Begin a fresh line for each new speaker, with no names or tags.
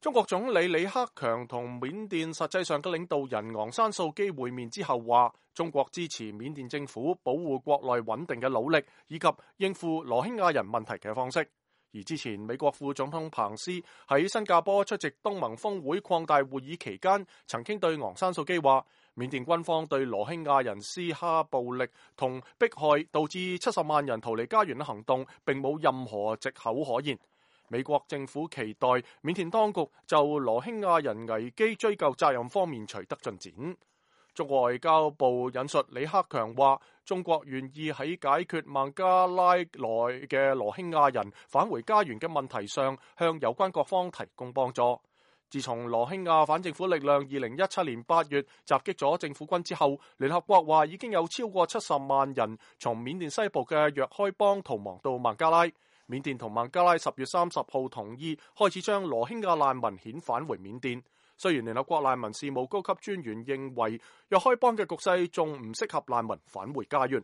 中國總理李克強同緬甸實際上嘅領導人昂山素基會面之後話，中國支持緬甸政府保護國內穩定嘅努力，以及應付羅興亞人問題嘅方式。而之前美國副總統彭斯喺新加坡出席東盟峰會擴大會議期間，曾經對昂山素基話，緬甸軍方對羅興亞人施加暴力同迫害，導致70萬人逃離家園嘅行動，並冇任何藉口可言。美國政府期待緬甸當局就羅興亞人危機追究責任方面取得進展。中國外交部引述李克強話，中國願意喺解決孟加拉內嘅羅興亞人返回家園嘅問題上，向有關各方提供幫助。自從羅興亞反政府力量2017年8月襲擊咗政府軍之後，聯合國話已經有超過70萬人從緬甸西部嘅若開邦逃亡到孟加拉。緬甸同孟加拉10月30號同意開始將羅興亞難民遣返回緬甸。雖然聯合國難民事務高級專員認為若開邦嘅局勢仲唔適合難民返回家園。